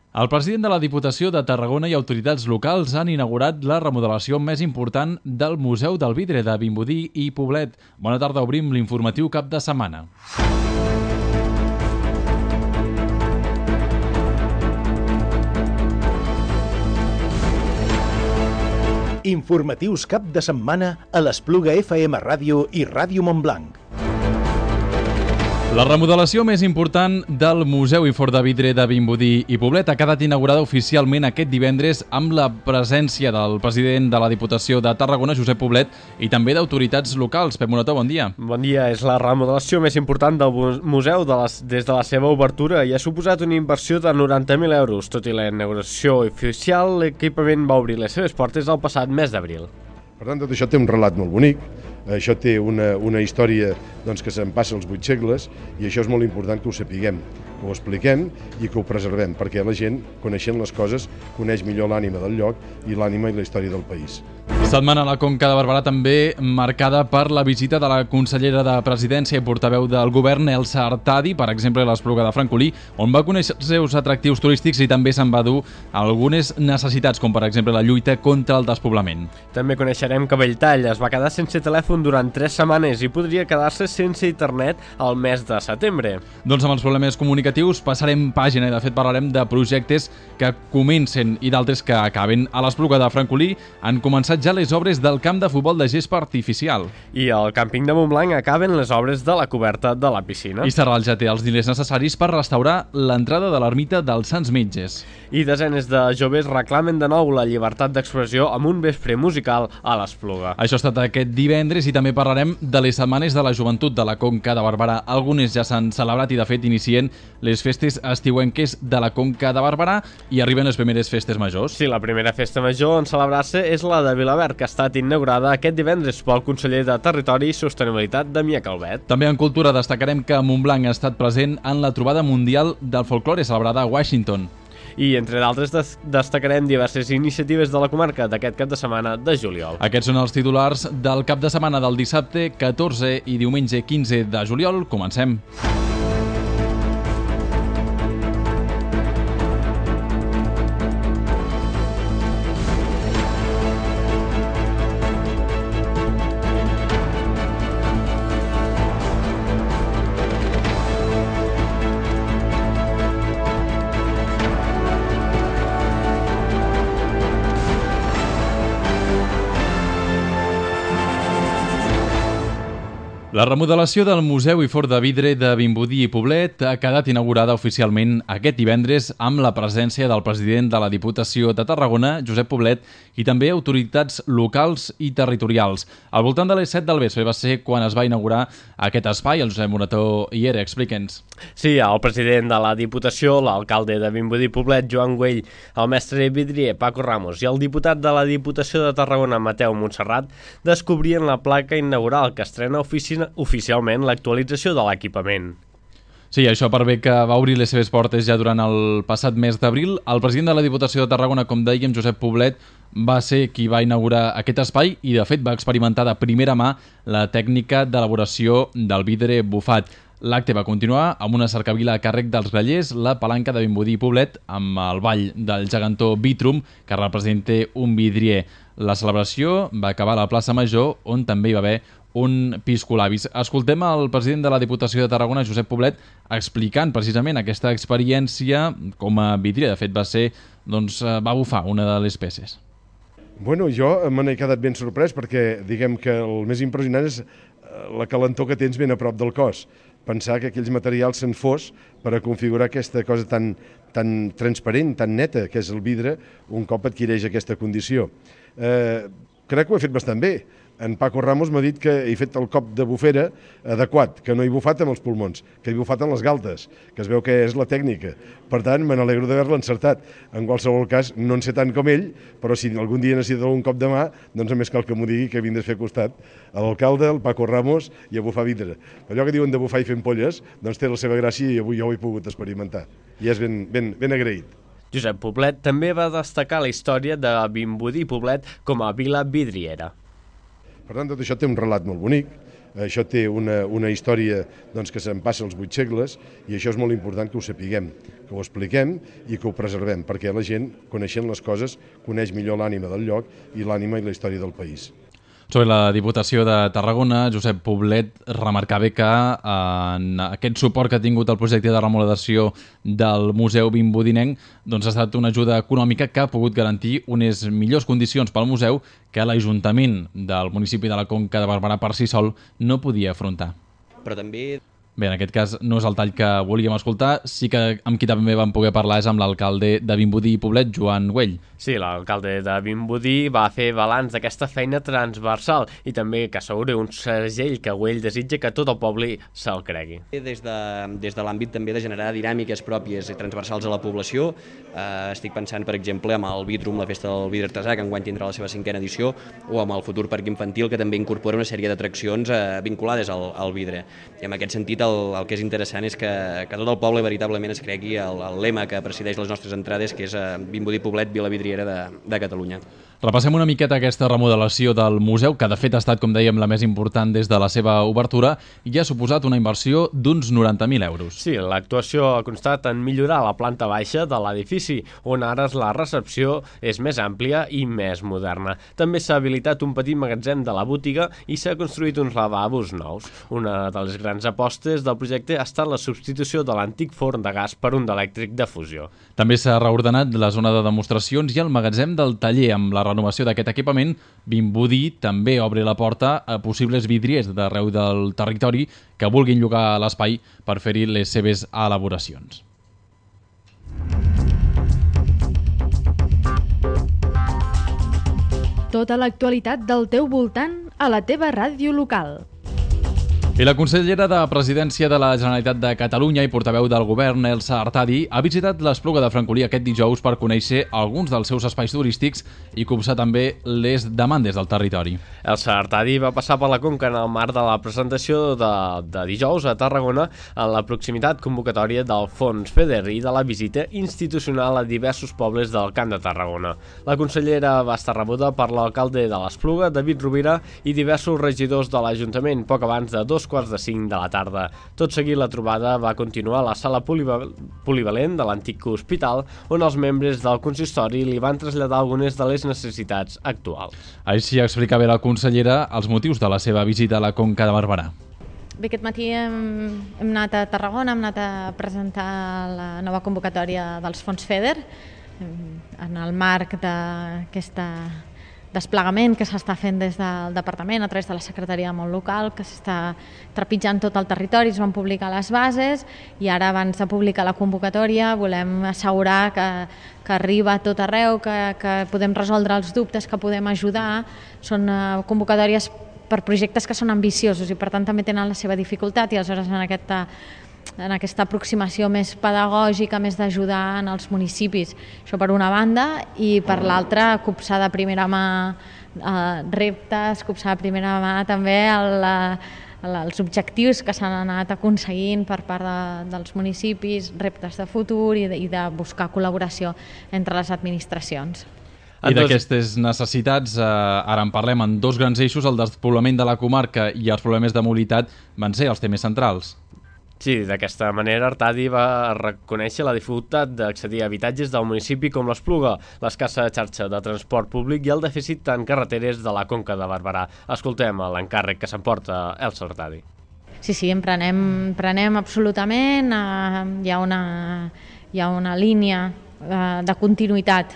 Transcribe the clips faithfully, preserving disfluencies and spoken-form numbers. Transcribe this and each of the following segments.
El president de la Diputació de Tarragona i autoritats locals han inaugurat la remodelació més important del Museu del Vidre de Vimbodí i Poblet. Bona tarda, obrim l'informatiu cap de setmana. Informatius cap de setmana a l'Espluga F M Ràdio i Ràdio Montblanc. La remodelació més important del Museu i Forn de Vidre de Vimbodí i Poblet ha quedat inaugurada oficialment aquest divendres amb la presència del president de la Diputació de Tarragona, Josep Poblet, i també d'autoritats locals. Pep Morató, bon dia. Bon dia. És la remodelació més important del museu de les, des de la seva obertura i ha suposat una inversió de noranta mil euros. Tot i la inauguració oficial, l'equipament va obrir les seves portes el passat mes d'abril. Per tant, tot això té un relat molt bonic, això té una, una història doncs, que se'n passa els vuit segles i això és molt important que ho sapiguem, que ho expliquem i que ho preservem, perquè la gent, coneixent les coses, coneix millor l'ànima del lloc i l'ànima i la història del país. Setmana a la Conca de Barberà també marcada per la visita de la consellera de Presidència i portaveu del govern, Elsa Artadi, per exemple, a l'Espluga de Francolí, on va conèixer els seus atractius turístics i també se'n va dur algunes necessitats, com per exemple la lluita contra el despoblament. També coneixerem que Belltall es va quedar sense telèfon durant tres setmanes i podria quedar-se sense internet al mes de setembre. Doncs amb els problemes comunicatius passarem pàgina i de fet parlarem de projectes que comencen i d'altres que acaben. A l'Espluga de Francolí han començat ja les obres del camp de futbol de gespa artificial. I al càmping de Montblanc acaben les obres de la coberta de la piscina. I Sarral ja té els diners necessaris per restaurar l'entrada de l'ermita dels Sants Metges. I desenes de joves reclamen de nou la llibertat d'expressió amb un vespre musical a l'Espluga. Això ha estat aquest divendres i també parlarem de les setmanes de la joventut de la Conca de Barberà. Algunes ja s'han celebrat i de fet inicien les festes estiuenques de la Conca de Barberà i arriben les primeres festes majors. Sí, la primera festa major en celebrar-se és la de Vilaverd, que ha estat inaugurada aquest divendres pel conseller de Territori i Sostenibilitat, Damià Calvet. També en cultura destacarem que Montblanc ha estat present en la trobada mundial del folklore celebrada a Washington. I, entre d'altres, destacarem diverses iniciatives de la comarca d'aquest cap de setmana de juliol. Aquests són els titulars del cap de setmana del dissabte catorze i diumenge quinze de juliol. Comencem. La remodelació del Museu i Forn de Vidre de Vimbodí i Poblet ha quedat inaugurada oficialment aquest divendres amb la presència del president de la Diputació de Tarragona, Josep Poblet, i també autoritats locals i territorials. Al voltant de les set del vespre va ser quan es va inaugurar aquest espai. El Josep Morató hi era, explica'ns. Sí, el president de la Diputació, l'alcalde de Vimbodí i Poblet, Joan Güell, el mestre vidrier, Paco Ramos, i el diputat de la Diputació de Tarragona, Mateu Montserrat, descobrien la placa inaugural que estrena oficina oficialment l'actualització de l'equipament. Sí, això per bé que va obrir les seves portes ja durant el passat mes d'abril. El president de la Diputació de Tarragona, com dèiem, Josep Poblet, va ser qui va inaugurar aquest espai i, de fet, va experimentar de primera mà la tècnica d'elaboració del vidre bufat. L'acte va continuar amb una cercavila a càrrec dels grallers, la palanca de Vimbodí i Poblet, amb el ball del gegantó Vitrum, que representa un vidrier. La celebració va acabar a la plaça Major, on també hi va haver un piscolabis. Escoltem el president de la Diputació de Tarragona, Josep Poblet, explicant precisament aquesta experiència com a vidrier. De fet, va ser, doncs, va bufar una de les peces. Bueno, jo me n'he quedat ben sorprès perquè, diguem que el més impressionant és la calentor que tens ben a prop del cos. Pensar que aquells materials se'n fos per a configurar aquesta cosa tan, tan transparent, tan neta, que és el vidre, un cop adquireix aquesta condició. Eh, crec que ho he fet bastant bé. En Paco Ramos m'ha dit que he fet el cop de bufera adequat, que no he bufat amb els pulmons, que he bufat amb les galtes, que es veu que és la tècnica. Per tant, me n'alegro d'haver-la encertat. En qualsevol cas, no en sé tant com ell, però si algun dia necessita un cop de mà, doncs només cal que m'ho digui, que vindré a fer costat a l'alcalde, el Paco Ramos, i a bufar vidre. Allò que diuen de bufar i fer ampolles, doncs té la seva gràcia i avui jo ho he pogut experimentar. I és ben, ben, ben agraït. Josep Poblet també va destacar la història de Vimbodí i Poblet com a vila vidriera. Per tant, tot això té un relat molt bonic, Això té una, una història doncs, que se'n passa els vuit segles i això és molt important que ho sapiguem, que ho expliquem i que ho preservem, perquè la gent, coneixent les coses, coneix millor l'ànima del lloc i l'ànima i la història del país. Sobre la Diputació de Tarragona, Josep Poblet remarcava que en aquest suport que ha tingut el projecte de remodelació del Museu Vimbodinenc doncs ha estat una ajuda econòmica que ha pogut garantir unes millors condicions pel museu que l'Ajuntament del municipi de la Conca de Barberà per si sol no podia afrontar. Però també... Bé, en aquest cas no és el tall que volíem escoltar, sí que amb qui també vam poder parlar és amb l'alcalde de Vimbodí i Poblet, Joan Güell. Sí, l'alcalde de Vimbodí va fer balanç d'aquesta feina transversal i també que assegura un segell que Güell desitja que tot el poble se'l cregui. Des de, des de l'àmbit també de generar dinàmiques pròpies i transversals a la població, eh, estic pensant, per exemple, amb el Vidrum, la festa del vidre artesà, que enguany tindrà la seva cinquena edició, o amb el futur parc infantil, que també incorpora una sèrie d'atraccions eh, vinculades al, al vidre. I en aquest sentit, el, el que és interessant és que, que tot el poble veritablement es cregui el, el lema que presideix les nostres entrades, que és eh, Vimbodí Poblet, Vila Vidriera de, de Catalunya. Repassem una miqueta aquesta remodelació del museu, que de fet ha estat, com dèiem, la més important des de la seva obertura i ha suposat una inversió d'uns noranta mil euros. Sí, l'actuació ha constat en millorar la planta baixa de l'edifici, on ara la recepció és més àmplia i més moderna. També s'ha habilitat un petit magatzem de la botiga i s'ha construït uns lavabos nous. Una de les grans apostes del projecte ha estat la substitució de l'antic forn de gas per un d'elèctric de fusió. També s'ha reordenat la zona de demostracions i el magatzem del taller. Amb la renovació d'aquest equipament, Vimbodí també obre la porta a possibles vidriers d'arreu del territori que vulguin llogar l'espai per fer-hi les seves elaboracions. Tota l'actualitat del teu voltant a la teva ràdio local. I la consellera de Presidència de la Generalitat de Catalunya i portaveu del govern, Elsa Artadi, ha visitat l'Espluga de Francolí aquest dijous per conèixer alguns dels seus espais turístics i copsar també les demandes del territori. Elsa Artadi va passar per la Conca en el marc de la presentació de, de dijous a Tarragona en la proximitat convocatòria del Fons FEDER i de la visita institucional a diversos pobles del Camp de Tarragona. La consellera va estar rebuda per l'alcalde de l'Espluga, David Rovira, i diversos regidors de l'Ajuntament poc abans de dos quarts de cinc de la tarda. Tot seguit, la trobada va continuar a la sala polivalent de l'antic hospital, on els membres del consistori li van traslladar algunes de les necessitats actuals. Així explicava la consellera els motius de la seva visita a la Conca de Barberà. Bé, aquest matí hem, hem anat a Tarragona, hem anat a presentar la nova convocatòria dels fons FEDER en el marc d'aquesta desplegament que s'està fent des del Departament a través de la Secretaria de Món Local, que s'està trepitjant tot el territori, es van publicar les bases i ara, abans de publicar la convocatòria, volem assegurar que, que arriba a tot arreu, que, que podem resoldre els dubtes, que podem ajudar. Són uh, convocatòries per projectes que són ambiciosos i per tant també tenen la seva dificultat i aleshores en aquesta en aquesta aproximació més pedagògica, més d'ajudar en els municipis. Això per una banda, i per l'altra, copsar de primera mà eh, reptes, copsar de primera mà també el, el, els objectius que s'han anat aconseguint per part de, dels municipis, reptes de futur i de, i de buscar col·laboració entre les administracions. I d'aquestes necessitats, eh, ara en parlem en dos grans eixos, el despoblament de la comarca i els problemes de mobilitat van ser els temes centrals. Sí, d'aquesta manera Artadi va reconèixer la dificultat d'accedir a habitatges del municipi com l'Espluga, l'escassa xarxa de transport públic i el dèficit en carreteres de la Conca de Barberà. Escoltem l'encàrrec que s'emporta Elsa Artadi. Sí, sí, en prenem, prenem absolutament. Eh, hi ha una, hi ha una línia eh, de continuïtat.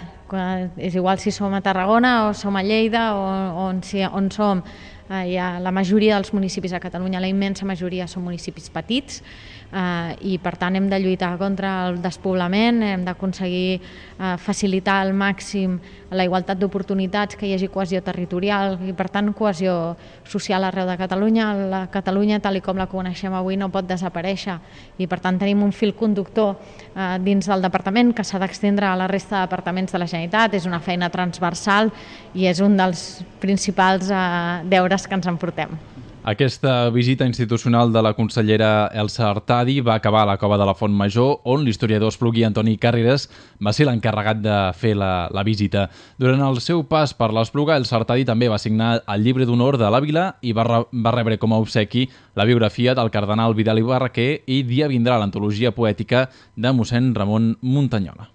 És igual si som a Tarragona o som a Lleida o on, si, on som. Eh, hi ha la majoria dels municipis a Catalunya, la immensa majoria són municipis petits eh, i per tant hem de lluitar contra el despoblament, hem d'aconseguir eh, facilitar al màxim la igualtat d'oportunitats, que hi hagi cohesió territorial i per tant cohesió social arreu de Catalunya. La Catalunya tal com la coneixem avui no pot desaparèixer i per tant tenim un fil conductor eh, dins del departament que s'ha d'extendre a la resta de departaments de la Generalitat. És una feina transversal i és un dels principals eh, deures que ens emportem. Aquesta visita institucional de la consellera Elsa Artadi va acabar a la Cova de la Font Major, on l'historiador espluguí Antoni Carreras va ser l'encarregat de fer la, la visita. Durant el seu pas per l'Espluga, Elsa Artadi també va signar el llibre d'honor de l'Àvila i va, re, va rebre com a obsequi la biografia del cardenal Vidal i Barraquer i dia vindrà l'antologia poètica de mossèn Ramon Muntanyola.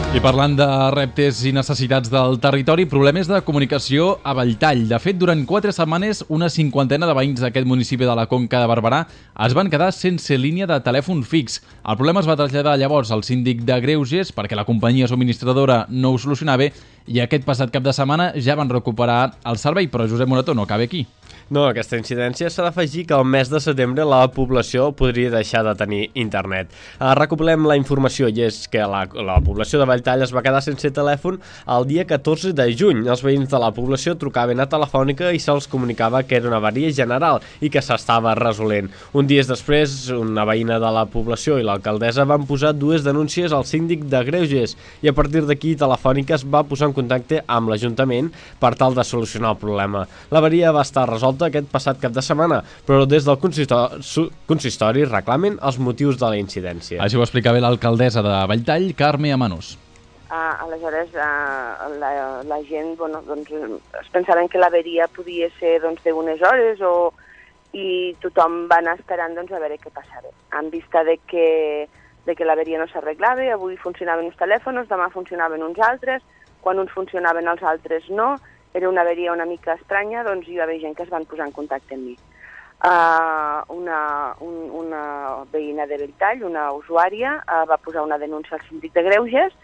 I parlant de reptes i necessitats del territori, problemes de comunicació a Belltall. De fet, durant quatre setmanes, una cinquantena de veïns d'aquest municipi de la Conca de Barberà es van quedar sense línia de telèfon fix. El problema es va traslladar llavors al síndic de Greuges perquè la companyia subministradora no ho solucionava i aquest passat cap de setmana ja van recuperar el servei, però Josep Morató no cabe aquí. No, a aquesta incidència s'ha d'afegir que el mes de setembre la població podria deixar de tenir internet. Uh, recuperem la informació i és que la, la població de Belltall es va quedar sense telèfon el dia catorze de juny. Els veïns de la població trucaven a Telefònica i se'ls comunicava que era una avaria general i que s'estava resolent. Un dia després, una veïna de la població i l'alcaldessa van posar dues denúncies al síndic de Greuges i a partir d'aquí Telefònica es va posar en contacte amb l'Ajuntament per tal de solucionar el problema. L'avaria va estar resolta aquest passat cap de setmana, però des del consistori, consistori reclamen els motius de la incidència. Així ho explicava l'alcaldessa de Belltall, Carme Amanós. Uh, aleshores, uh, la, la gent bueno, doncs, es pensaven que l'averia podia ser doncs, d'unes hores o, i tothom va anar esperant doncs, a veure què passava. En vista de que, de que l'averia no s'arreglava, avui funcionaven uns telèfons, demà funcionaven uns altres, quan uns funcionaven els altres no, era una averia una mica estranya, doncs hi va haver gent que es van posar en contacte amb mi. Uh, una, un, una veïna de Belltall, una usuària, uh, va posar una denúncia al síndic de Greuges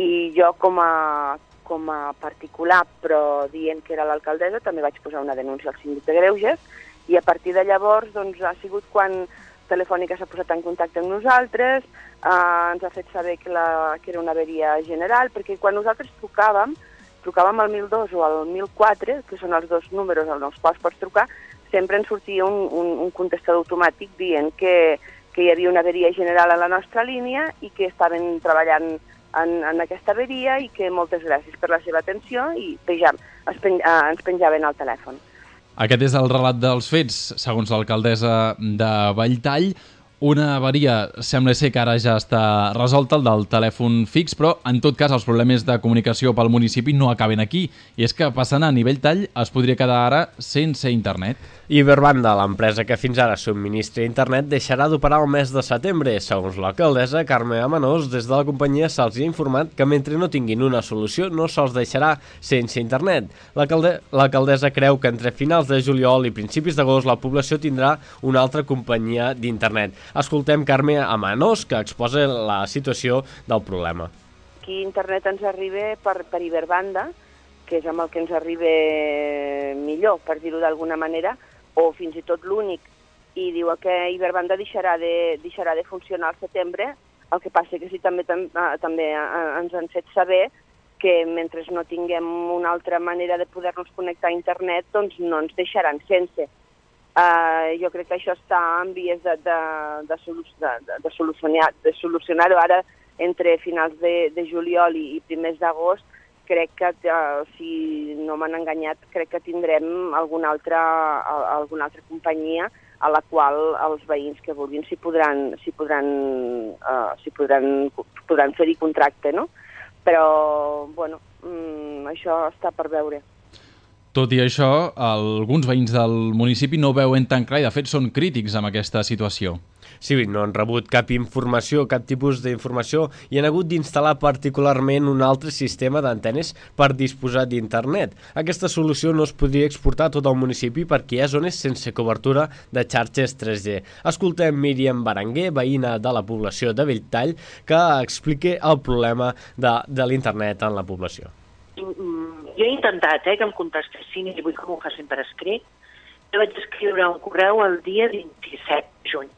i jo com a, com a particular, però dient que era l'alcaldessa, també vaig posar una denúncia al síndic de Greuges i a partir de llavors doncs, ha sigut quan Telefònica s'ha posat en contacte amb nosaltres, uh, ens ha fet saber que, la, que era una averia general, perquè quan nosaltres trucàvem, trucàvem al mil dos o al mil quatre, que són els dos números als quals pots trucar, sempre ens sortia un, un, un contestador automàtic dient que, que hi havia una averia general a la nostra línia i que estaven treballant en, en aquesta averia i que moltes gràcies per la seva atenció i pejam, es pen, eh, ens penjaven al telèfon. Aquest és el relat dels fets, segons l'alcaldessa de Belltall. Una avaria sembla ser que ara ja està resolta, el del telèfon fix, però en tot cas els problemes de comunicació pel municipi no acaben aquí. I és que passant a nivell tall es podria quedar ara sense internet. Iberbanda, l'empresa que fins ara subministra internet, deixarà d'operar el mes de setembre. Segons l'alcaldessa Carme Amanós, des de la companyia se'ls ha informat que mentre no tinguin una solució no se'ls deixarà sense internet. L'alcaldessa creu que entre finals de juliol i principis d'agost la població tindrà una altra companyia d'internet. Escoltem Carme Amanós, que exposa la situació del problema. Aquí internet ens arriba per, per Iberbanda, que és amb el que ens arriba millor, per dir-ho d'alguna manera, o fins i tot l'únic, i diu que Iberbanda deixarà de, deixarà de funcionar al setembre, el que passa que sí, també, també ens han fet saber que mentre no tinguem una altra manera de poder-nos connectar a internet, doncs no ens deixaran sense. Uh, jo crec que això està en vies de, de, de, de, de solucionar, de solucionar-ho ara entre finals de, de juliol i, i primers d'agost. Crec que, uh, si no m'han enganyat, crec que tindrem alguna altra, alguna altra companyia a la qual els veïns que vulguin s'hi podran, s'hi podran, uh, s'hi podran, podran fer-hi contracte, no? Però, bueno, um, això està per veure. Tot i això, alguns veïns del municipi no ho veuen tan clar i, de fet, són crítics amb aquesta situació. Sí, no han rebut cap informació, cap tipus d'informació i han hagut d'instal·lar particularment un altre sistema d'antenes per disposar d'internet. Aquesta solució no es podria exportar a tot el municipi perquè hi ha zones sense cobertura de xarxes tres G. Escoltem Míriam Berenguer, veïna de la població de Belltall, que explica el problema de, de l'internet en la població. Jo he intentat eh, que em contestessin i vull que m'ho facin per escrit. Jo vaig escriure un correu el dia vint-i-set de juny.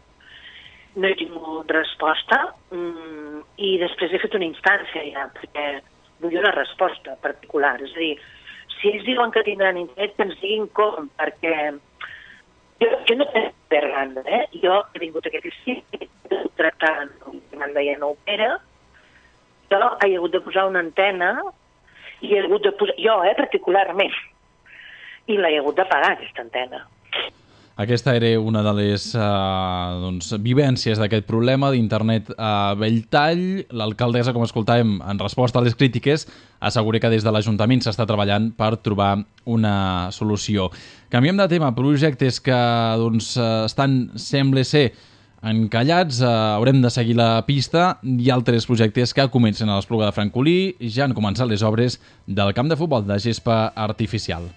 No he tingut resposta mm, i després he fet una instància ja, perquè vull una resposta particular. És a dir, si ells diuen que tindran internet, que ens diguin com, perquè Jo, jo no tenc per banda, eh? Jo he vingut aquest estiu, tractant, me'n deia no opera, jo he hagut de posar una antena, i he hagut de posar, jo, eh, particularment, i l'he hagut de pagar, aquesta antena. Aquesta era una de les eh, doncs, vivències d'aquest problema d'internet a Belltall. L'alcaldessa, com escoltàvem, en resposta a les crítiques, assegura que des de l'Ajuntament s'està treballant per trobar una solució. Canviem de tema. Projectes que doncs, estan, sembla ser, encallats, eh, haurem de seguir la pista, i altres projectes que comencen a l'Espluga de Francolí. Ja han començat les obres del camp de futbol de gespa artificial.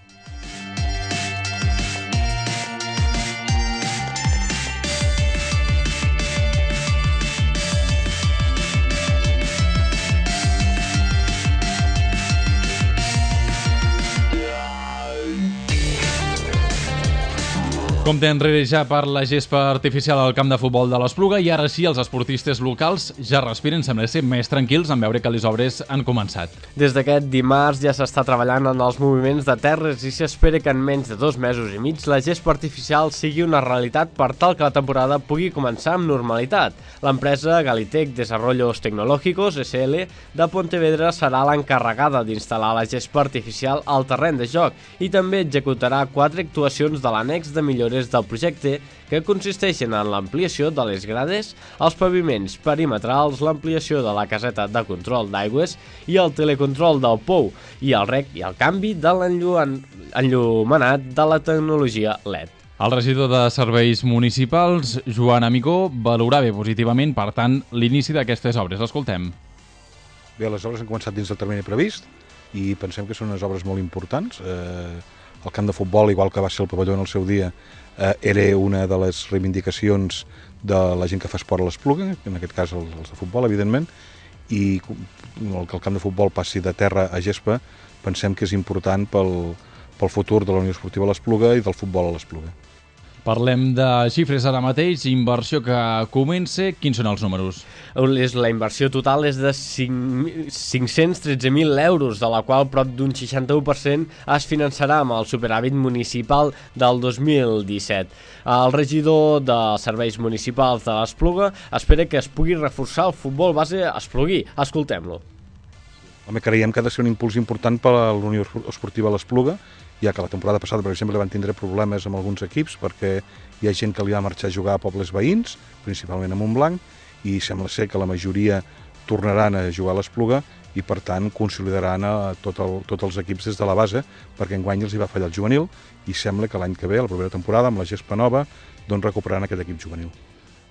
Compte enrere ja per la gespa artificial al camp de futbol de l'Espluga, i ara sí, els esportistes locals ja respiren, sembla ser més tranquils en veure que les obres han començat. Des d'aquest dimarts ja s'està treballant en els moviments de terres i s'espera que en menys de dos mesos i mig la gespa artificial sigui una realitat per tal que la temporada pugui començar amb normalitat. L'empresa Galitec Desarrollos Tecnológicos, S L, de Pontevedra serà l'encarregada d'instal·lar la gespa artificial al terreny de joc i també executarà quatre actuacions de l'annex de millores del projecte, que consisteixen en l'ampliació de les grades, els paviments perimetrals, l'ampliació de la caseta de control d'aigües i el telecontrol del pou, i el rec i el canvi de l'enllumenat de la tecnologia L E D. El regidor de Serveis Municipals, Joan Amigó, valorava positivament, per tant, l'inici d'aquestes obres. L'escoltem. Bé, les obres han començat dins del termini previst i pensem que són unes obres molt importants. Eh, el camp de futbol, igual que va ser el pavelló en el seu dia, eh, era una de les reivindicacions de la gent que fa esport a l'Espluga, en aquest cas els de futbol, evidentment, i el que el camp de futbol passi de terra a gespa pensem que és important pel, pel futur de la Unió Esportiva a l'Espluga i del futbol a l'Espluga. Parlem de xifres ara mateix, inversió que comença. Quins són els números? La inversió total és de cinc-cents tretze mil euros, de la qual prop d'un seixanta-u per cent es finançarà amb el superàvit municipal del dos mil disset. El regidor de Serveis Municipals de l'Espluga espera que es pugui reforçar el futbol base espluguí. Escoltem-lo. Home, creiem que ha de ser un impuls important per a la Unió Esportiva a l'Espluga, ja que la temporada passada, per exemple, van tindre problemes amb alguns equips perquè hi ha gent que li va marxar a jugar a pobles veïns, principalment a Montblanc, i sembla ser que la majoria tornaran a jugar a l'Espluga i, per tant, consolidaran a tot el, tots els equips des de la base, perquè enguany els hi va fallar el juvenil i sembla que l'any que ve, la propera temporada, amb la gespa nova, doncs recuperaran aquest equip juvenil.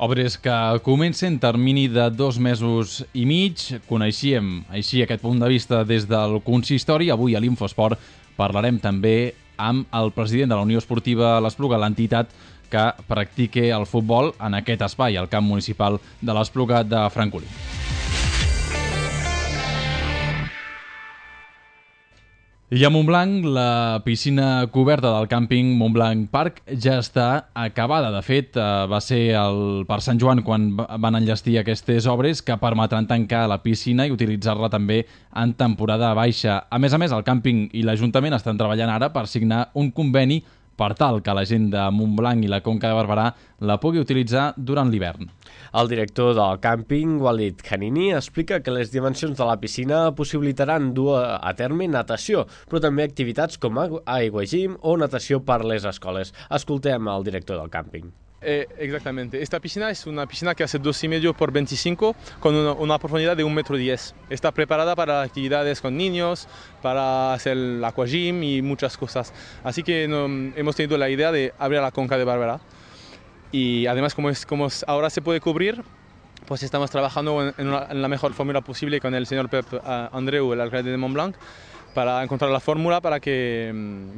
Obres que comencen termini de dos mesos i mig. Coneixíem així aquest punt de vista des del consistori. Avui a l'Infosport parlarem també amb el president de la Unió Esportiva a l'Espluga, l'entitat que practica el futbol en aquest espai, el camp municipal de l'Espluga de Francolí. I a Montblanc, la piscina coberta del càmping Montblanc Park ja està acabada. De fet, va ser el, per Sant Joan quan van enllestir aquestes obres que permetran tancar la piscina i utilitzar-la també en temporada baixa. A més a més, el càmping i l'Ajuntament estan treballant ara per signar un conveni per tal que la gent de Montblanc i la Conca de Barberà la pugui utilitzar durant l'hivern. El director del càmping, Walid Khanini, explica que les dimensions de la piscina possibilitaran dur a terme natació, però també activitats com aiguagym o natació per les escoles. Escoltem el director del càmping. Eh, exactamente. Esta piscina es una piscina que hace dos y medio por veinticinco con una, una profundidad de un metro diez. Está preparada para actividades con niños, para hacer el aquagym y muchas cosas. Así que no, hemos tenido la idea de abrir la Conca de Barberà. Y además, como, es, como ahora se puede cubrir, pues estamos trabajando en, una, en la mejor fórmula posible con el señor Pep uh, Andreu, el alcalde de Montblanc, para encontrar la fórmula para que,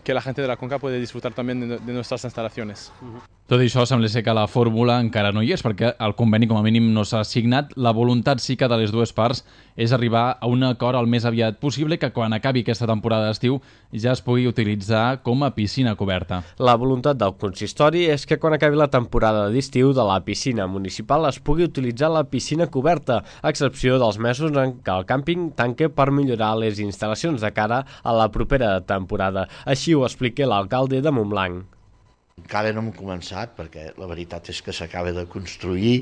que la gente de la Conca pueda disfrutar también de, de nuestras instalaciones. Uh-huh. Tot això sembla ser que la fórmula encara no hi és, perquè el conveni com a mínim no s'ha signat. La voluntat sí que de les dues parts és arribar a un acord el més aviat possible, que quan acabi aquesta temporada d'estiu ja es pugui utilitzar com a piscina coberta. La voluntat del consistori és que quan acabi la temporada d'estiu de la piscina municipal es pugui utilitzar la piscina coberta, a excepció dels mesos en què el càmping tanca per millorar les instal·lacions de cara a la propera temporada. Així ho explica l'alcalde de Montblanc. Encara no hem començat, perquè la veritat és que s'acaba de construir,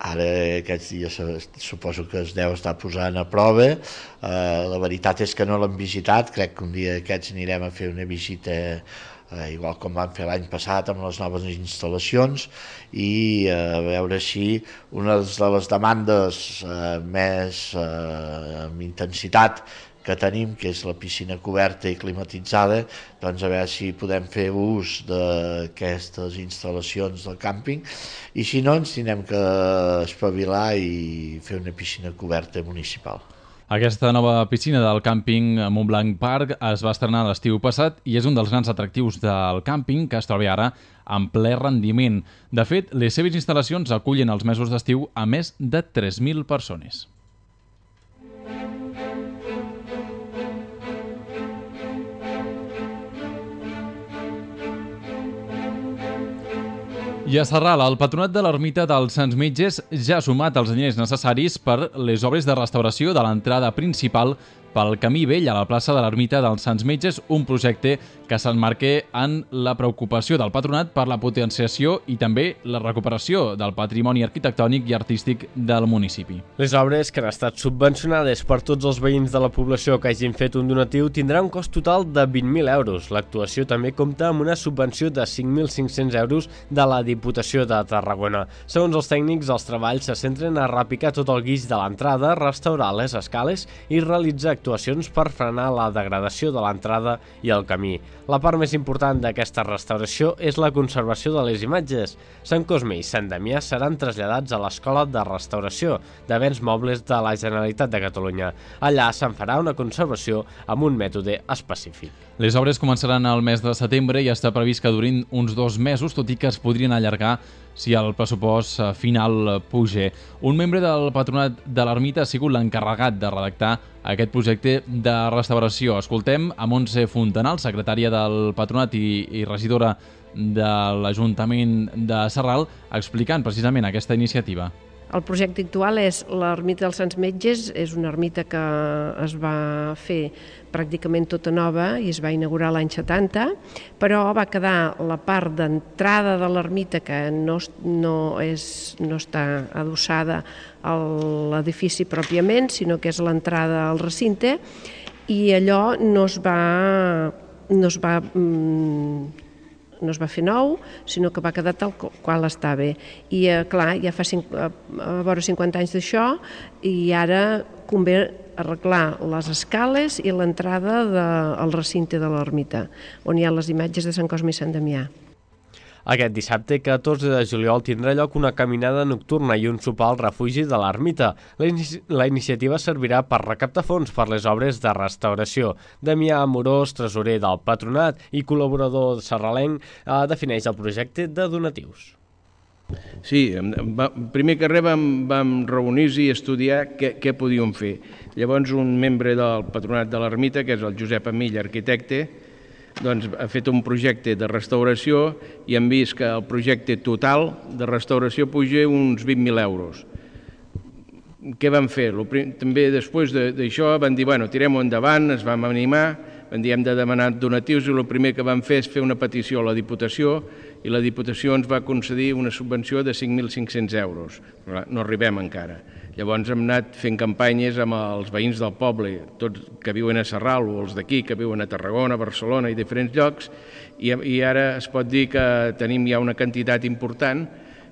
ara aquests dies suposo que es deu estar posant a prova, eh, la veritat és que no l'hem visitat, crec que un dia aquests anirem a fer una visita eh, igual com vam fer l'any passat amb les noves instal·lacions i eh, a veure si una de les demandes eh, més eh, amb intensitat que tenim, que és la piscina coberta i climatitzada, doncs a veure si podem fer ús d'aquestes instal·lacions del càmping i si no ens tindrem que espavilar i fer una piscina coberta municipal. Aquesta nova piscina del càmping Montblanc Park es va estrenar l'estiu passat i és un dels grans atractius del càmping que es troba ara en ple rendiment. De fet, les seves instal·lacions acullen els mesos d'estiu a més de tres mil persones. I a Sarral, el Patronat de l'Ermita dels Sants Metges ja ha sumat els diners necessaris per les obres de restauració de l'entrada principal pel Camí Vell a la plaça de l'Ermita dels Sants Metges, un projecte que s'emmarca en la preocupació del Patronat per la potenciació i també la recuperació del patrimoni arquitectònic i artístic del municipi. Les obres, que han estat subvencionades per tots els veïns de la població que hagin fet un donatiu, tindran un cost total de vint mil euros. L'actuació també compta amb una subvenció de cinc mil cinc-cents euros de la Diputació de Tarragona. Segons els tècnics, els treballs se centren a repicar tot el guix de l'entrada, restaurar les escales i realitzar actuacions per frenar la degradació de l'entrada i el camí. La part més important d'aquesta restauració és la conservació de les imatges. Sant Cosme i Sant Damià seran traslladats a l'Escola de Restauració de Béns Mobles de la Generalitat de Catalunya. Allà se'n farà una conservació amb un mètode específic. Les obres començaran al mes de setembre i està previst que durin uns dos mesos, tot i que es podrien allargar si el pressupost final puja. Un membre del Patronat de l'Ermita ha sigut l'encarregat de redactar aquest projecte de restauració. Escoltem a Montse Fontanal, secretària del Patronat i, i regidora de l'Ajuntament de Sarral, explicant precisament aquesta iniciativa. El projecte actual és l'Ermita dels Sants Metges, és una ermita que es va fer pràcticament tota nova i es va inaugurar l'any setanta, però va quedar la part d'entrada de l'ermita que no, no, és, no està adossada a l'edifici pròpiament, sinó que és l'entrada al recinte, i allò no es va... No es va no es va fer nou, sinó que va quedar tal qual estava. I, eh, clar, ja fa cinc, a vora cinquanta anys d'això i ara convé arreglar les escales i l'entrada al recinte de l'ermita, on hi ha les imatges de Sant Cosme i Sant Damià. Aquest dissabte, catorze de juliol, tindrà lloc una caminada nocturna i un sopar al refugi de l'ermita. La, inici la iniciativa servirà per recaptar fons per les obres de restauració. Damià Amorós, tresorer del Patronat i col·laborador sarralenc, eh, defineix el projecte de donatius. Sí, va, primer que res vam, vam reunir-nos i estudiar què, què podíem fer. Llavors un membre del Patronat de l'Ermita, que és el Josep Amill, arquitecte, doncs, ha fet un projecte de restauració i hem vist que el projecte total de restauració puja uns vint mil euros. Què vam fer? També després d'això vam dir, bueno, tirem-ho endavant, ens vam animar, vam dir, hem de demanar donatius i el primer que vam fer és fer una petició a la Diputació i la Diputació ens va concedir una subvenció de cinc mil cinc-cents euros. No arribem encara. Llavors hem anat fent campanyes amb els veïns del poble, tots que viuen a Sarral o els d'aquí que viuen a Tarragona, Barcelona i diferents llocs, i, i ara es pot dir que tenim ja una quantitat important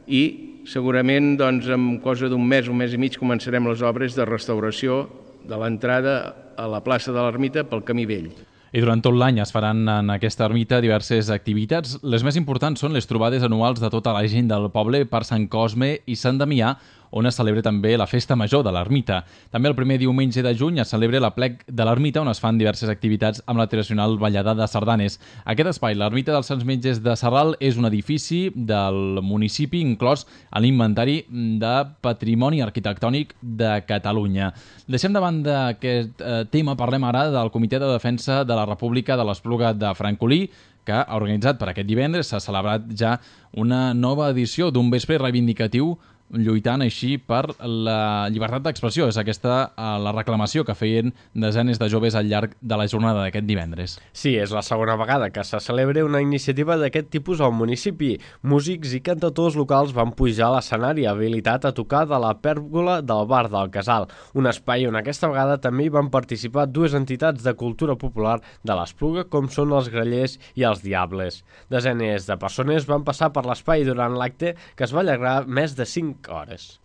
i segurament doncs, en cosa d'un mes, un mes i mig, començarem les obres de restauració de l'entrada a la plaça de l'Ermita pel Camí Vell. I durant tot l'any es faran en aquesta ermita diverses activitats. Les més importants són les trobades anuals de tota la gent del poble per Sant Cosme i Sant Damià, on es celebra també la Festa Major de l'Ermita. També el primer diumenge de juny es celebra la Plec de l'Ermita, on es fan diverses activitats amb la tradicional ballada de sardanes. Aquest espai, l'Ermita dels Sants Metges de Sarral, és un edifici del municipi inclòs a l'inventari de Patrimoni Arquitectònic de Catalunya. Deixem de banda aquest eh, tema, parlem ara del Comitè de Defensa de la República de l'Espluga de Francolí, que ha organitzat per aquest divendres, s'ha celebrat ja una nova edició d'un vespre reivindicatiu lluitant així per la llibertat d'expressió. És aquesta la reclamació que feien desenes de joves al llarg de la jornada d'aquest divendres. Sí, és la segona vegada que se celebra una iniciativa d'aquest tipus al municipi. Músics i cantautors locals van pujar a l'escenari habilitat a tocar de la pèrgola del bar del Casal, un espai on aquesta vegada també hi van participar dues entitats de cultura popular de l'Espluga, com són els Grallers i els Diables. Desenes de persones van passar per l'espai durant l'acte, que es va allargar més de cinc hores.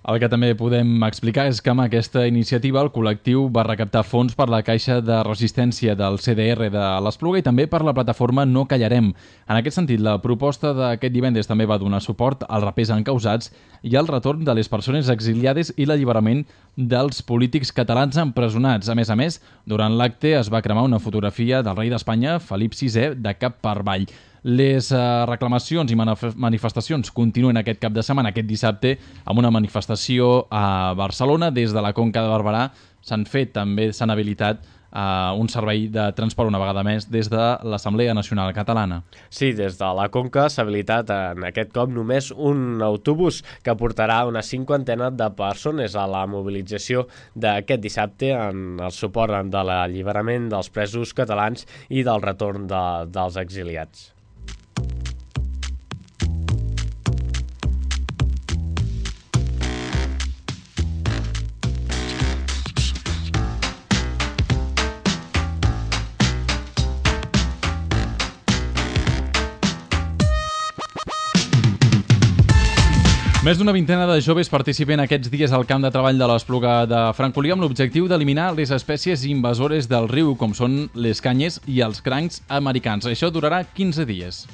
El que també podem explicar és que amb aquesta iniciativa el col·lectiu va recaptar fons per la Caixa de Resistència del C D R de l'Espluga i també per la plataforma No Callarem. En aquest sentit, la proposta d'aquest divendres també va donar suport als rapers encausats i al retorn de les persones exiliades i l'alliberament dels polítics catalans empresonats. A més a més, durant l'acte es va cremar una fotografia del rei d'Espanya, Felip sisè, de cap per avall. Les uh, reclamacions i manif- manifestacions continuen aquest cap de setmana, aquest dissabte, amb una manifestació a Barcelona. Des de la Conca de Barberà s'han fet també, s'han habilitat uh, un servei de transport una vegada més des de l'Assemblea Nacional Catalana. Sí, des de la Conca s'ha habilitat en aquest cop només un autobús que portarà una cinquantena de persones a la mobilització d'aquest dissabte en el suport de l'alliberament dels presos catalans i del retorn de, dels exiliats. Més d'una vintena de joves participen aquests dies al camp de treball de l'Espluga de Francolí amb l'objectiu d'eliminar les espècies invasores del riu, com són les canyes i els crancs americans. Això durarà quinze dies.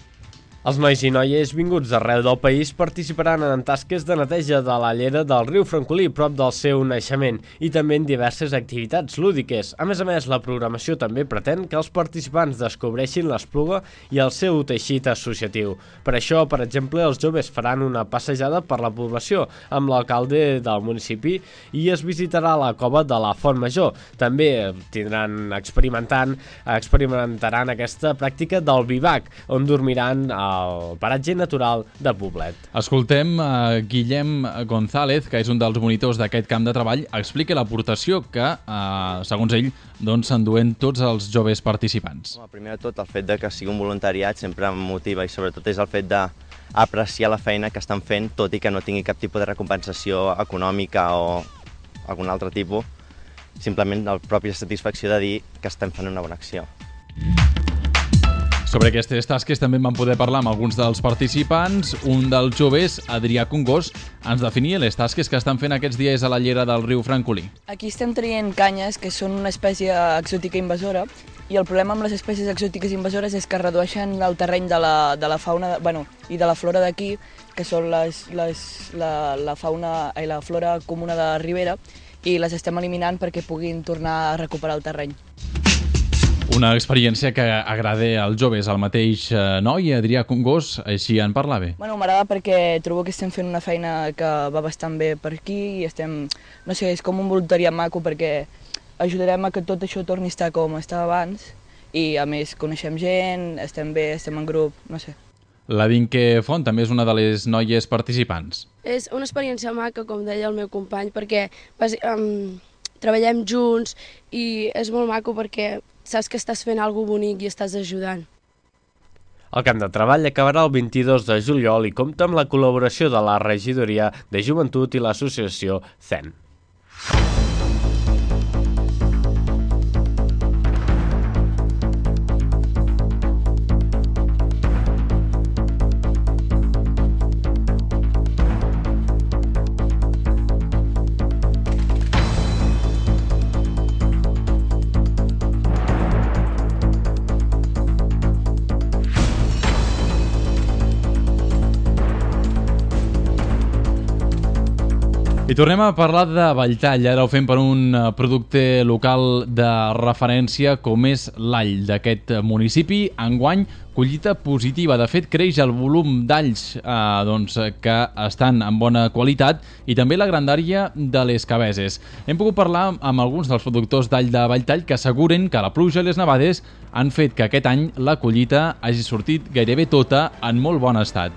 Els nois i noies vinguts d'arreu del país participaran en tasques de neteja de la llera del riu Francolí, prop del seu naixement, i també en diverses activitats lúdiques. A més a més, la programació també pretén que els participants descobreixin l'Espluga i el seu teixit associatiu. Per això, per exemple, els joves faran una passejada per la població amb l'alcalde del municipi i es visitarà la cova de la Font Major. També tindran experimentant, experimentaran aquesta pràctica del vivac, on dormiran a el paratge natural de Poblet. Escoltem a Guillem González, que és un dels monitors d'aquest camp de treball, explica l'aportació que, eh, segons ell, doncs s'enduen tots els joves participants. Bueno, primer de tot, el fet de que sigui un voluntariat sempre em motiva i sobretot és el fet d'apreciar la feina que estan fent, tot i que no tingui cap tipus de recompensació econòmica o algun altre tipus, simplement la pròpia satisfacció de dir que estem fent una bona acció. Sobre aquestes tasques també en vam poder parlar amb alguns dels participants. Un dels joves, Adrià Congós, ens definia les tasques que estan fent aquests dies a la llera del riu Francolí. Aquí estem traient canyes, que són una espècie exòtica invasora, i el problema amb les espècies exòtiques invasores és que redueixen el terreny de la, de la fauna bueno, i de la flora d'aquí, que són les, les, la, la fauna i la flora comuna de Ribera, i les estem eliminant perquè puguin tornar a recuperar el terreny. Una experiència que agrada als joves. El mateix noi, Adrià Congós, així en parlava. Bueno, m'agrada perquè trobo que estem fent una feina que va bastant bé per aquí i estem, no sé, és com un voluntariat maco perquè ajudarem a que tot això torni a estar com estava abans i a més coneixem gent, estem bé, estem en grup, no sé. La Dinque Font també és una de les noies participants. És una experiència maca, com deia el meu company, perquè um, treballem junts i és molt maco perquè saps que estàs fent alguna cosa bonic i estàs ajudant. El camp de treball acabarà el vint-i-dos de juliol i compta amb la col·laboració de la Regidoria de Joventut i l'associació C E N. I tornem a parlar de Valltall. Ara ho fem per un producte local de referència com és l'all d'aquest municipi. Enguany, collita positiva. De fet, creix el volum d'alls eh, doncs, que estan en bona qualitat i també la grandària de les cabeses. Hem pogut parlar amb alguns dels productors d'all de Valltall que asseguren que la pluja i les nevades han fet que aquest any la collita hagi sortit gairebé tota en molt bon estat.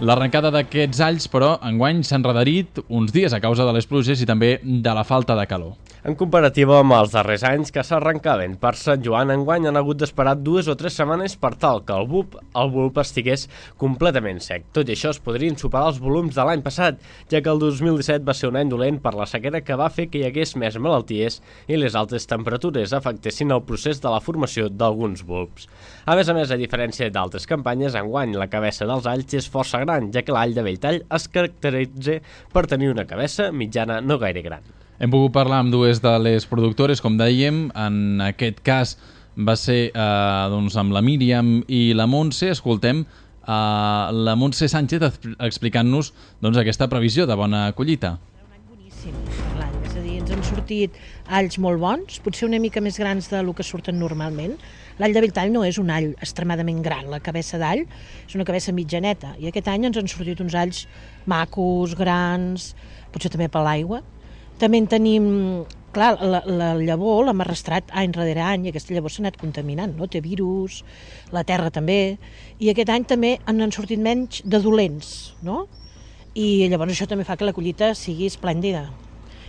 L'arrencada d'aquests alls, però, enguany s'ha enredarit uns dies a causa de les pluges i també de la falta de calor. En comparativa amb els darrers anys que s'arrencaven per Sant Joan, enguany han hagut d'esperar dues o tres setmanes per tal que el bulb, el bulb estigués completament sec. Tot i això es podrien superar els volums de l'any passat, ja que el dos mil disset va ser un any dolent per la sequera que va fer que hi hagués més malalties i les altes temperatures afectessin el procés de la formació d'alguns bulbs. A més a més, a diferència d'altres campanyes, enguany la cabeça dels alls és força gran, ja que l'all de Belltall es caracteritza per tenir una cabeça mitjana no gaire gran. Hem pogut parlar amb dues de les productores, com dèiem, en aquest cas va ser eh, doncs, amb la Míriam i la Montse. Escoltem eh, la Montse Sánchez explicant-nos doncs, aquesta previsió de bona collita. Boníssim per l'any, és a dir, ens han sortit alls molt bons, potser una mica més grans del que surten normalment. L'all de Belltall no és un all extremadament gran, la cabeça d'all és una cabeça mitjaneta, i aquest any ens han sortit uns alls macos, grans, potser també per l'aigua. També en tenim, clar, la, la llavor l'hem arrastrat any rere any i aquesta llavor s'ha anat contaminant, no? Té virus, la terra també, i aquest any també en han sortit menys de dolents, no? I llavors això també fa que la collita sigui esplèndida.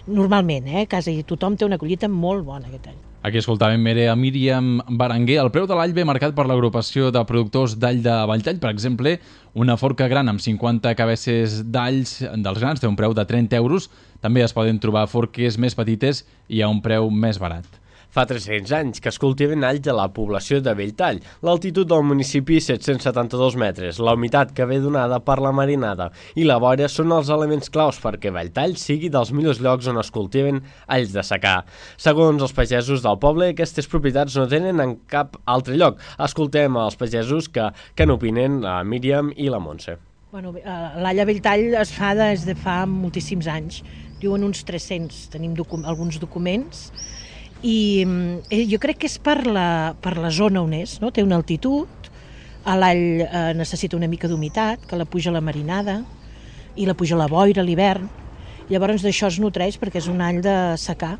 Normalment, eh? Quasi tothom té una collita molt bona aquest any. Aquí escoltàvem a Míriam Berenguer. El preu de l'all ve marcat per l'agrupació de productors d'all de Belltall. Per exemple, una forca gran amb cinquanta cabesses d'alls dels grans té un preu de trenta euros. També es poden trobar forques més petites i a un preu més barat. Fa tres-cents anys que es cultiven alls a la població de Belltall. L'altitud del municipi set-cents setanta-dos metres, la humitat que ve donada per la marinada i la boira són els elements claus perquè Belltall sigui dels millors llocs on es cultiven alls de secà. Segons els pagesos del poble, aquestes propietats no tenen en cap altre lloc. Escoltem els pagesos que, que n'opinen la Míriam i la Montse. Bueno, l'all a Belltall es fa des de fa moltíssims anys. Diuen uns tres-cents, tenim docu alguns documents. I eh, jo crec que és per la, per la zona on és, no? Té una altitud, l'all eh, necessita una mica d'humitat, que la puja la marinada i la puja la boira a l'hivern, llavors d'això es nutreix perquè és un all de secà.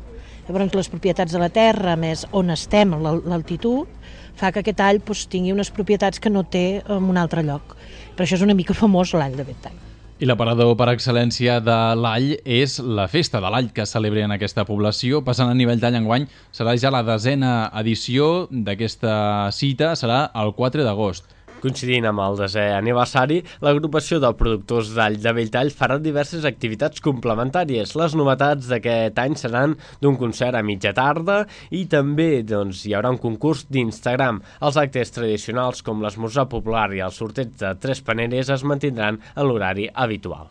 Llavors les propietats de la terra, més on estem, l'altitud, fa que aquest all doncs, tingui unes propietats que no té en un altre lloc. Per això és una mica famós l'all de Belltall. I l'aparador per excel·lència de l'all és la festa de l'all que es celebra en aquesta població. Passant a nivell d'all enguany, serà ja la desena edició d'aquesta cita, serà el quatre d'agost. Coincidint amb el desè aniversari, l'agrupació de productors d'all de Belltall farà diverses activitats complementàries. Les novetats d'aquest any seran d'un concert a mitja tarda i també doncs, hi haurà un concurs d'Instagram. Els actes tradicionals com l'esmorzar popular i el sorteig de tres paneres es mantindran en l'horari habitual.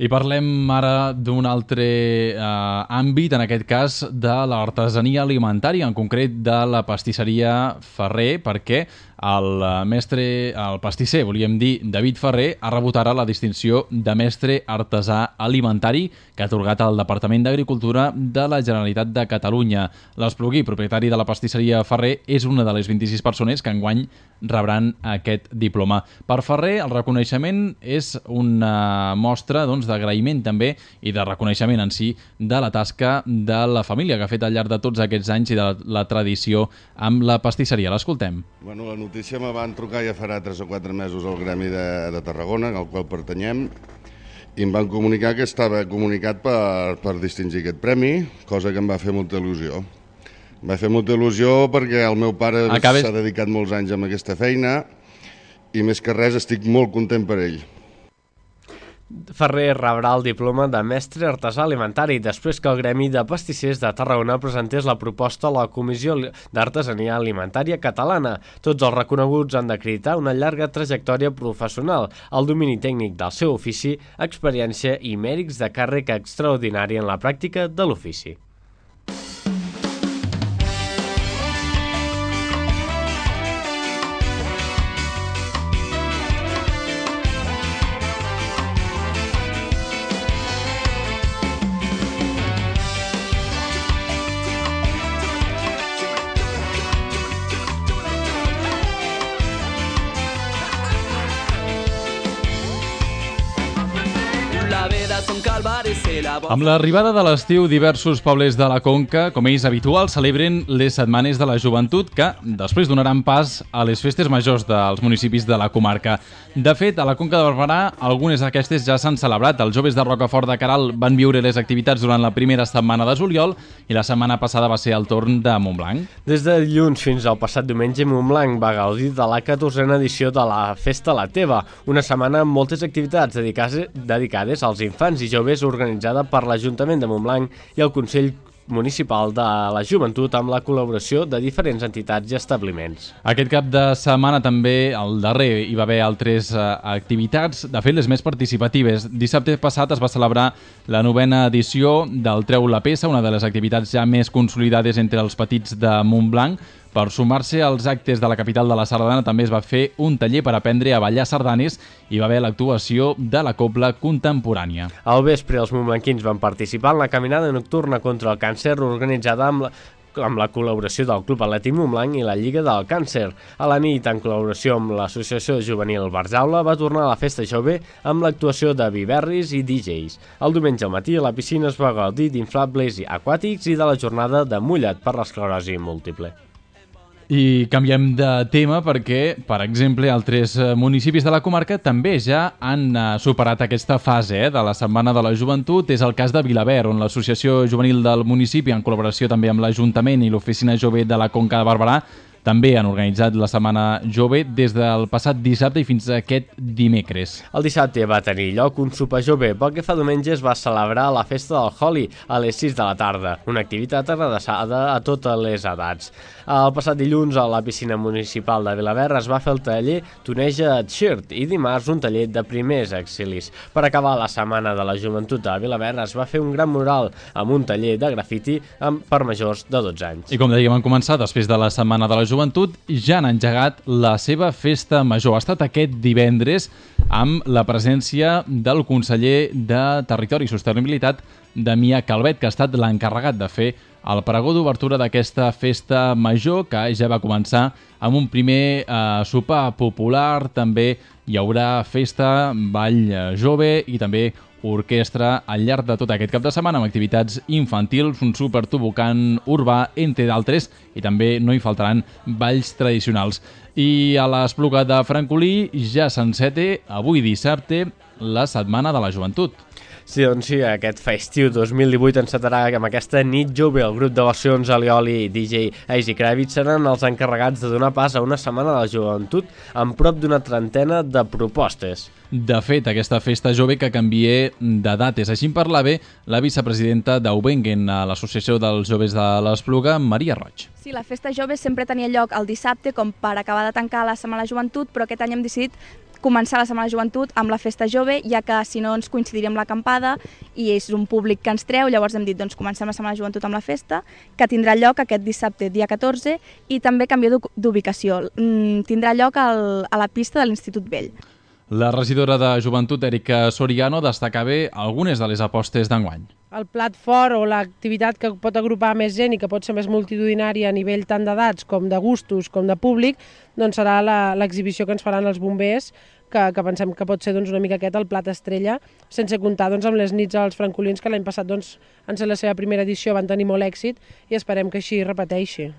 I parlem ara d'un altre eh, àmbit, en aquest cas de l'artesania alimentària, en concret de la pastisseria Ferrer, perquè el mestre, el pastisser, volíem dir, David Ferrer, ha rebut ara la distinció de mestre artesà alimentari que ha atorgat el Departament d'Agricultura de la Generalitat de Catalunya. L'Espluguí, propietari de la pastisseria Ferrer, és una de les vint-i-sis persones que enguany rebran aquest diploma. Per Ferrer, el reconeixement és una mostra doncs, d'agraïment també i de reconeixement en si de la tasca de la família que ha fet al llarg de tots aquests anys i de la tradició amb la pastisseria. L'escoltem. Bueno, la notícia me van trucar ja farà tres o quatre mesos al Gremi de, de Tarragona, al qual pertanyem, i em van comunicar que estava comunicat per, per distingir aquest premi, cosa que em va fer molta il·lusió. Em va fer molta il·lusió perquè el meu pare Acabes... s'ha dedicat molts anys a aquesta feina i més que res estic molt content per ell. Ferrer rebrà el diploma de mestre artesà alimentari després que el Gremi de Pastissers de Tarragona presentés la proposta a la Comissió d'Artesania Alimentària Catalana. Tots els reconeguts han d'acreditar una llarga trajectòria professional, el domini tècnic del seu ofici, experiència i mèrits de càrrec extraordinari en la pràctica de l'ofici. La vida és un calvari, sí, Amb l'arribada de l'estiu, diversos pobles de la Conca, com és habitual, celebren les setmanes de la joventut que després donaran pas a les festes majors dels municipis de la comarca. De fet, a la Conca de Barberà, algunes d'aquestes ja s'han celebrat. Els joves de Rocafort de Queralt van viure les activitats durant la primera setmana de juliol i la setmana passada va ser el torn de Montblanc. Des de dilluns fins al passat diumenge, Montblanc va gaudir de la catorzena edició de la Festa La Teva, una setmana amb moltes activitats dedicades, dedicades als infants i joves organitzada per l'Ajuntament de Montblanc i el Consell Municipal de la Joventut amb la col·laboració de diferents entitats i establiments. Aquest cap de setmana també, al darrer, hi va haver altres uh, activitats, de fet les més participatives. Dissabte passat es va celebrar la novena edició del Treu la Peça, una de les activitats ja més consolidades entre els petits de Montblanc. Per sumar-se als actes de la capital de la sardana també es va fer un taller per aprendre a ballar sardanes i va haver l'actuació de la cobla contemporània. Al vespre els montblanquins van participar en la caminada nocturna contra el càncer organitzada amb la amb la col·laboració del Club Atlètic Montblanc i la Lliga del Càncer. A la nit, en col·laboració amb l'Associació Juvenil Barjaula, va tornar a la festa jove amb l'actuació de viverris i D Js. El diumenge al matí a la piscina es va gaudir d'inflables aquàtics i de la jornada de mullat per l'esclerosi múltiple. I canviem de tema perquè, per exemple, altres municipis de la comarca també ja han superat aquesta fase eh, de la Setmana de la Joventut. És el cas de Vilaverd, on l'Associació Juvenil del municipi, en col·laboració també amb l'Ajuntament i l'Oficina Jove de la Conca de Barberà, també han organitzat la Setmana Jove des del passat dissabte i fins a aquest dimecres. El dissabte va tenir lloc un sopar jove. Pel que fa diumenge es va celebrar la festa del Holi a les sis de la tarda, una activitat adreçada a totes les edats. El passat dilluns a la piscina municipal de Vilaverd es va fer el taller Tuneja et Shirt i dimarts un taller de primers auxilis. Per acabar la Setmana de la Joventut a Vilaverd es va fer un gran mural amb un taller de grafiti per majors de dotze anys. I com dèiem en començar, després de la Setmana de la Joventut, Joventut ja han engegat la seva festa major. Ha estat aquest divendres amb la presència del conseller de Territori i Sostenibilitat, Damià Calvet, que ha estat l'encarregat de fer el pregó d'obertura d'aquesta festa major, que ja va començar amb un primer eh, sopar popular. També hi haurà festa, ball jove i també orquestra al llarg de tot aquest cap de setmana amb activitats infantils, un supertobocant urbà, entre d'altres, i també no hi faltaran balls tradicionals. I a l'Espluga de Francolí ja s'enceta avui dissabte la Setmana de la Joventut. Sí, doncs sí, aquest festiu dos mil divuit encetarà amb aquesta nit jove. El grup de versions Alioli i D J Easy Kravitz seran els encarregats de donar pas a una setmana de la joventut amb prop d'una trentena de propostes. De fet, aquesta festa jove que canvia de dates. Així en parlava la vicepresidenta d'Aubengen a l'Associació dels Joves de l'Espluga, Maria Roig. Sí, la festa jove sempre tenia lloc el dissabte com per acabar de tancar la Setmana de la Joventut, però aquest any hem decidit començar la Setmana de Joventut amb la festa jove, ja que si no ens coincidiria amb l'acampada i és un públic que ens treu, llavors hem dit doncs comencem la Setmana de Joventut amb la festa, que tindrà lloc aquest dissabte, dia catorze, i també canvia d'ubicació. Mm, tindrà lloc al, a la pista de l'Institut Vell. La regidora de Joventut, Erika Soriano, destacava algunes de les apostes d'enguany. El plat fort o l'activitat que pot agrupar més gent i que pot ser més multitudinària a nivell tant d'edats com de gustos com de públic, doncs serà l'exhibició que ens faran els bombers, que, que pensem que pot ser doncs, una mica aquest el plat estrella, sense comptar doncs, amb les nits als francolins, que l'any passat doncs, en ser la seva primera edició van tenir molt èxit i esperem que així repeteixi.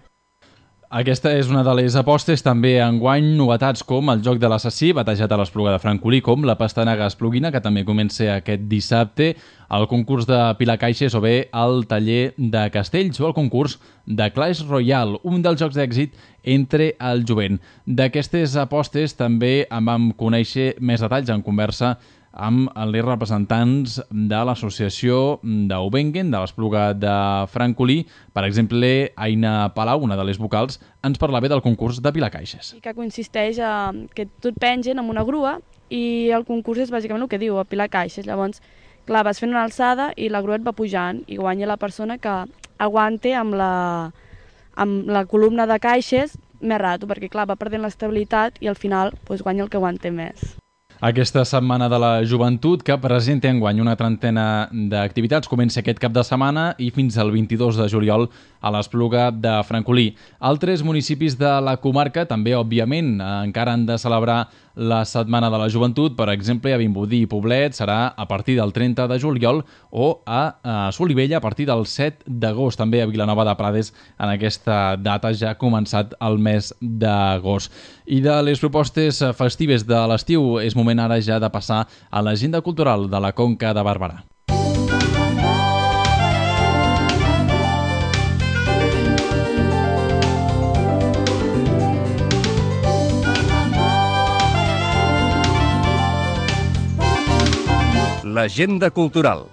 Aquesta és una de les apostes, també enguany novetats com el Joc de l'Assassí, batejat a l'Espluga de Francolí, com la Pastanaga Espluguina, que també comença aquest dissabte, el concurs de Pilar Caixes o bé el taller de Castells o el concurs de Clash Royale, un dels jocs d'èxit entre el jovent. D'aquestes apostes també en vam conèixer més detalls en conversa amb els representants de l'associació d'Aubengen, de l'Espluga de Francolí. Per exemple, Aina Palau, una de les vocals, ens parlava del concurs de Pilar Caixes. Que consisteix a que tot pengen amb una grua i el concurs és bàsicament el que diu, a Pilar Caixes. Llavors, clar, vas fent una alçada i la grua et va pujant i guanya la persona que aguante amb la, amb la columna de caixes més rato, perquè clar, va perdent l'estabilitat i al final doncs, guanya el que aguante més. Aquesta Setmana de la Joventut, que presenta enguany una trentena d'activitats, comença aquest cap de setmana i fins al vint-i-dos de juliol a l'Espluga de Francolí. Altres municipis de la comarca també, òbviament, encara han de celebrar la Setmana de la Joventut. Per exemple, a Vimbodí i Poblet serà a partir del trenta de juliol o a Solivella a partir del set d'agost. També a Vilanova de Prades en aquesta data ja ha començat el mes d'agost. I de les propostes festives de l'estiu és moment ara ja de passar a l'agenda cultural de la Conca de Barberà. L'agenda cultural.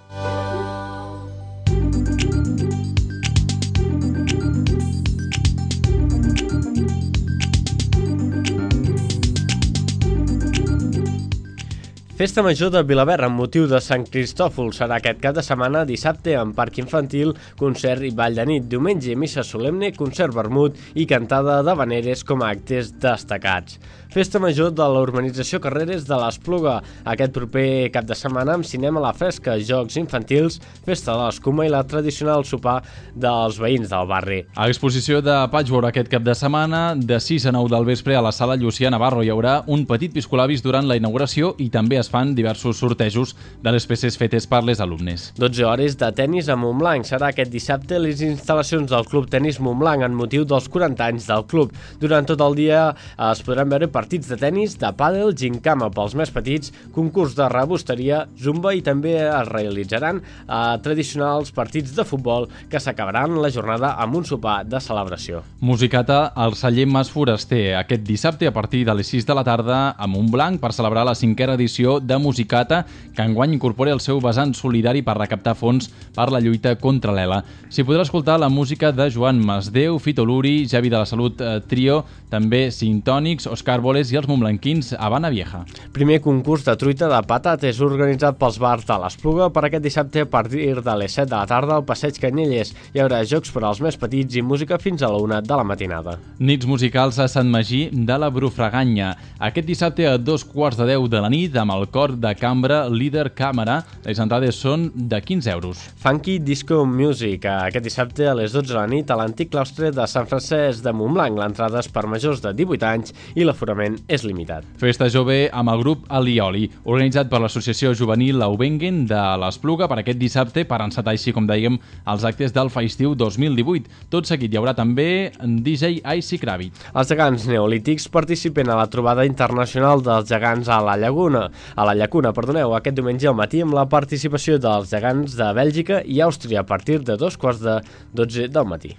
Festa Major de Vilaverd amb motiu de Sant Cristòfol serà aquest cap de setmana, dissabte en parc infantil, concert i ball de nit, diumenge missa solemne, concert vermut i cantada d'havaneres com a actes destacats. Festa Major de la urbanització Carreres de l'Espluga, aquest proper cap de setmana amb cinema a la fresca, jocs infantils, festa de l'escuma i la tradicional sopar dels veïns del barri. A exposició de patchwork aquest cap de setmana, de sis a nou del vespre a la sala Llucià Navarro hi haurà un petit piscolabis durant la inauguració i també es fan diversos sortejos de les peces fetes per les alumnes. dotze hores de tennis a Montblanc. Serà aquest dissabte les instal·lacions del Club Tenis Montblanc en motiu dels quaranta anys del club. Durant tot el dia es podran veure partits de tennis, de pàdel, gincama pels més petits, concurs de rebosteria, zumba i també es realitzaran eh, tradicionals partits de futbol que s'acabaran la jornada amb un sopar de celebració. Musicata al celler Mas Foraster aquest dissabte a partir de les sis de la tarda a Montblanc per celebrar la cinquena edició de Musicata, que enguany incorpora el seu vessant solidari per recaptar fons per la lluita contra l'Ela. S'hi podrà escoltar la música de Joan Masdeu, Fito Luri, Javi de la Salut eh, Trio, també Sintònics, Òscar Boles i els montblanquins Habana Vieja. Primer concurs de truita de patates organitzat pels bars de l'Espluga per aquest dissabte a partir de les set de la tarda al Passeig Canyelles. Hi haurà jocs per als més petits i música fins a la una de la matinada. Nits musicals a Sant Magí de la Brufraganya. Aquest dissabte a dos quarts de deu de la nit amb el cor de cambra Líder Càmera. Les entrades són de quinze euros. Funky Disco Music, aquest dissabte a les dotze de la nit a l'antic claustre de Sant Francesc de Montblanc. L'entrada és per majors de divuit anys i l'aforament és limitat. Festa jove amb el grup Alioli, organitzat per l'associació juvenil Laubengen de l'Espluga per aquest dissabte per encetar així, com dèiem, els actes del Festiu dos mil divuit. Tot seguit hi haurà també D J Icy Kravit. Els gegants neolítics participen a la trobada internacional dels gegants a la Llaguna. A la Llacuna, perdoneu, aquest diumenge al matí amb la participació dels gegants de Bèlgica i Àustria a partir de dos quarts de dotze del matí.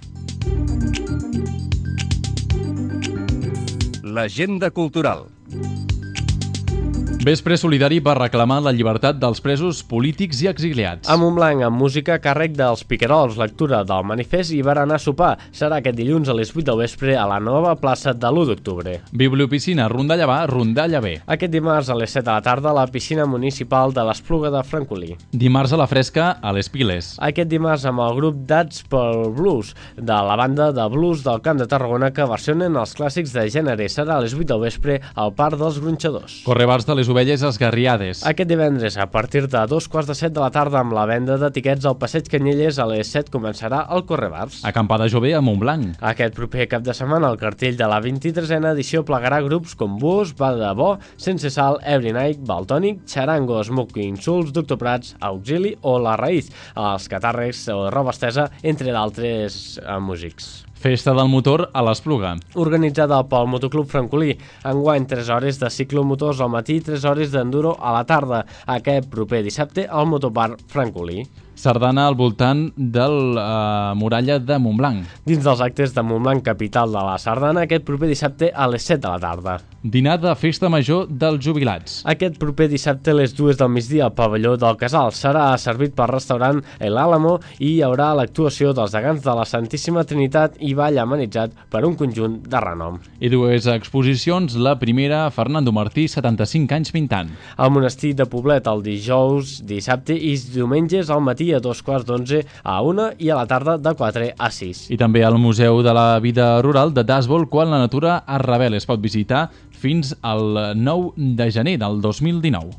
L'agenda cultural. Vespre solidari per reclamar la llibertat dels presos polítics i exiliats. A Montblanc, amb música a càrrec dels Piquerols, lectura del manifest i berenar a sopar. Serà aquest dilluns a les vuit del vespre a la nova plaça de l'u d'octubre. Bibliopiscina, rondalla va, rondalla ve. Aquest dimarts a les set de la tarda a la piscina municipal de l'Espluga de Francolí. Dimarts a la fresca a les Piles. Aquest dimarts amb el grup Dats pel Blues, de la banda de blues del Camp de Tarragona que versionen els clàssics de gènere. Serà a les vuit del vespre al Parc dels Gronxadors. Correbars de les Ovelles Esgarriades. Aquest divendres, a partir de dos quarts de set de la tarda amb la venda d'etiquets al Passeig Canyelles, a les set començarà el Correbars. Acampada jove a Montblanc. Aquest proper cap de setmana el cartell de la vint-i-tresena edició plegarà grups com Bus, Va de Bo, Sense Sal, Every Night, Valtònic, Charango, Smoke Insults, Doctor Prats, Auxili o La Raïz, els Catàrrecs o Roba Estesa, entre d'altres eh, músics. Festa del motor a l'Espluga. Organitzada pel Motoclub Francolí. Enguany tres hores de ciclomotors al matí i tres hores d'enduro a la tarda. Aquest proper dissabte al Motoparc Francolí. Sardana al voltant de la uh, muralla de Montblanc. Dins dels actes de Montblanc, capital de la Sardana, aquest proper dissabte a les set de la tarda. Dinar de festa major dels jubilats. Aquest proper dissabte a les dues del migdia al pavelló del Casal. Serà servit pel restaurant El Álamo i hi haurà l'actuació dels gegants de la Santíssima Trinitat i ball amenitzat per un conjunt de renom. I dues exposicions, la primera, Fernando Martí, setanta-cinc anys pintant. Al monestir de Poblet el dijous, dissabte i diumenges al matí a dos quarts d'onze a una i a la tarda de quatre a sis. I també al Museu de la Vida Rural de Dasbol, quan la natura es revela. Es pot visitar fins al nou de gener del dos mil dinou.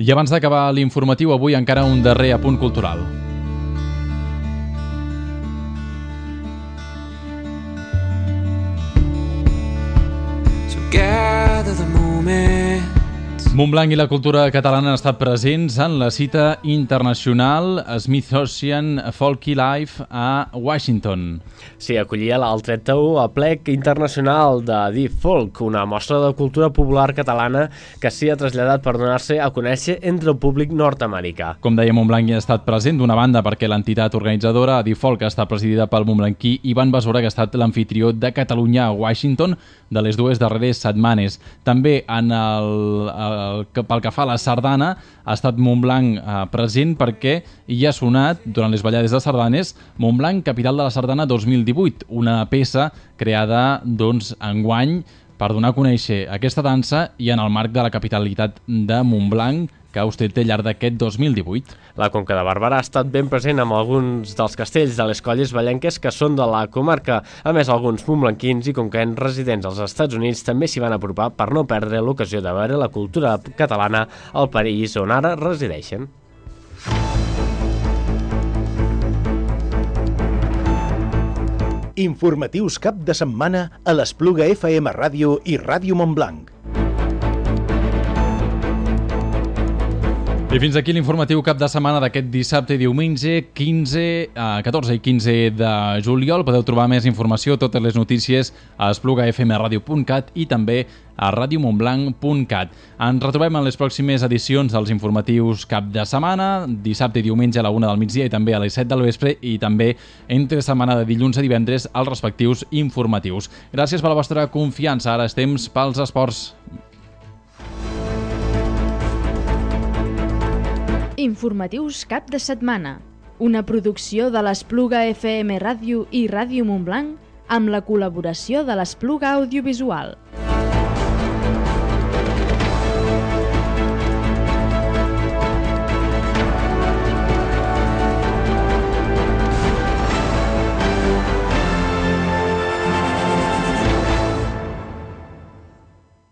I abans d'acabar l'informatiu, avui encara un darrer apunt cultural. Montblanc i la cultura catalana han estat presents en la cita internacional Smithsonian Folky Life a Washington. Sí, acollia el trenta u Aplec Internacional de Deep Folk, una mostra de cultura popular catalana que s'hi ha traslladat per donar-se a conèixer entre el públic nord-americà. Com deia, Montblanc hi ha estat present d'una banda perquè l'entitat organitzadora Deep Folk està presidida pel montblanquí Ivan Besora, que ha estat l'amfitrió de Catalunya a Washington de les dues darreres setmanes. També en el, el, pel que fa a la sardana ha estat Montblanc eh, present perquè hi ha sonat durant les ballades de sardanes Montblanc, capital de la sardana dos mil divuit, una peça creada doncs enguany per donar a conèixer aquesta dansa i en el marc de la capitalitat de Montblanc que vostè té al llarg d'aquest dos mil divuit. La Conca de Barberà ha estat ben present amb alguns dels castells de les colles ballenques que són de la comarca. A més, alguns montblanquins i conquens residents als Estats Units també s'hi van apropar per no perdre l'ocasió de veure la cultura catalana al país on ara resideixen. Informatius cap de setmana a l'Espluga F M Ràdio i Ràdio Montblanc. I fins aquí l'informatiu cap de setmana d'aquest dissabte i diumenge quinze, catorze i quinze de juliol. Podeu trobar més informació, totes les notícies a espluga f m radio punt cat i també a radio montblanc punt cat. Ens retrobem en les pròximes edicions dels informatius cap de setmana, dissabte i diumenge a la una del migdia i també a les set del vespre i també entre setmana de dilluns a divendres als respectius informatius. Gràcies per la vostra confiança. Ara és temps pels esports. Informatius cap de setmana, una producció de l'Espluga F M Ràdio i Ràdio Montblanc amb la col·laboració de l'Espluga Audiovisual.